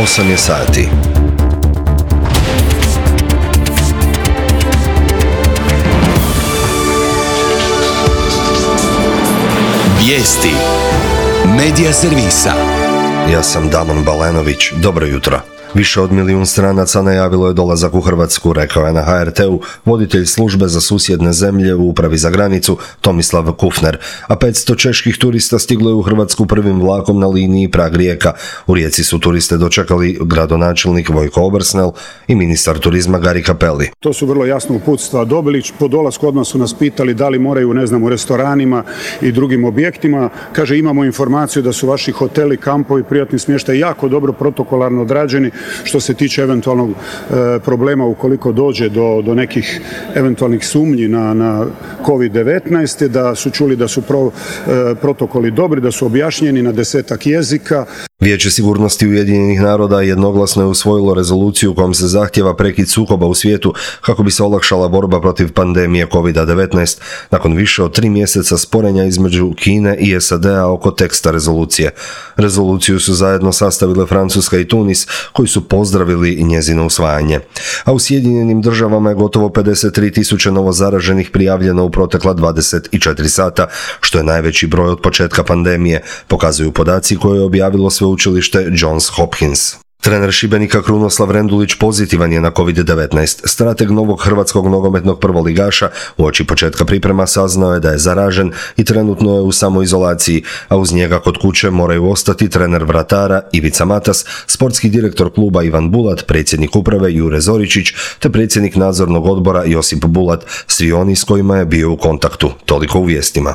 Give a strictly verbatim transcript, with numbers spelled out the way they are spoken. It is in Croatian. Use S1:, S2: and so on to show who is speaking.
S1: osam je sati.
S2: Vijesti Medija servisa.
S1: Ja sam Damon Balenović. Dobro jutro. Više od milijun stranaca najavilo je dolazak u Hrvatsku, rekao je na ha er te-u voditelj službe za susjedne zemlje u upravi za granicu Tomislav Kufner, a petsto čeških turista stiglo je u Hrvatsku prvim vlakom na liniji Prag-Rijeka. U Rijeci su turiste dočekali gradonačelnik Vojko Obersnel i ministar turizma Gari Cappelli.
S3: To su vrlo jasno uputstva dobili. Po dolasku odmah su nas pitali da li moraju, ne znam, u restoranima i drugim objektima. Kaže, imamo informaciju da su vaši hoteli, kampovi, privatni smještaj jako dobro protokolarno odrađeni što se tiče eventualnog e, problema ukoliko dođe do, do nekih eventualnih sumnji na, na kovid devetnaest, da su čuli da su pro, e, protokoli dobri, da su objašnjeni na desetak jezika.
S1: Vijeće sigurnosti Ujedinjenih naroda jednoglasno je usvojilo rezoluciju kojom se zahtjeva prekid sukoba u svijetu kako bi se olakšala borba protiv pandemije kovid devetnaest nakon više od tri mjeseca sporenja između Kine i es a de-a oko teksta rezolucije. Rezoluciju su zajedno sastavile Francuska i Tunis, koji su pozdravili njezino usvajanje. A u Sjedinjenim državama je gotovo pedeset tri tisuće novozaraženih prijavljeno u protekla dvadeset četiri sata, što je najveći broj od početka pandemije, pokazuju podaci koje je objavilo sveučilište Johns Hopkins. Trener Šibenika Krunoslav Rendulić pozitivan je na kovid devetnaest. Strateg novog hrvatskog nogometnog prvoligaša uoči početka priprema saznao je da je zaražen i trenutno je u samoizolaciji, a uz njega kod kuće moraju ostati trener vratara Ivica Matas, sportski direktor kluba Ivan Bulat, predsjednik uprave Jure Zoričić te predsjednik nadzornog odbora Josip Bulat, svi oni s kojima je bio u kontaktu. Toliko u vijestima.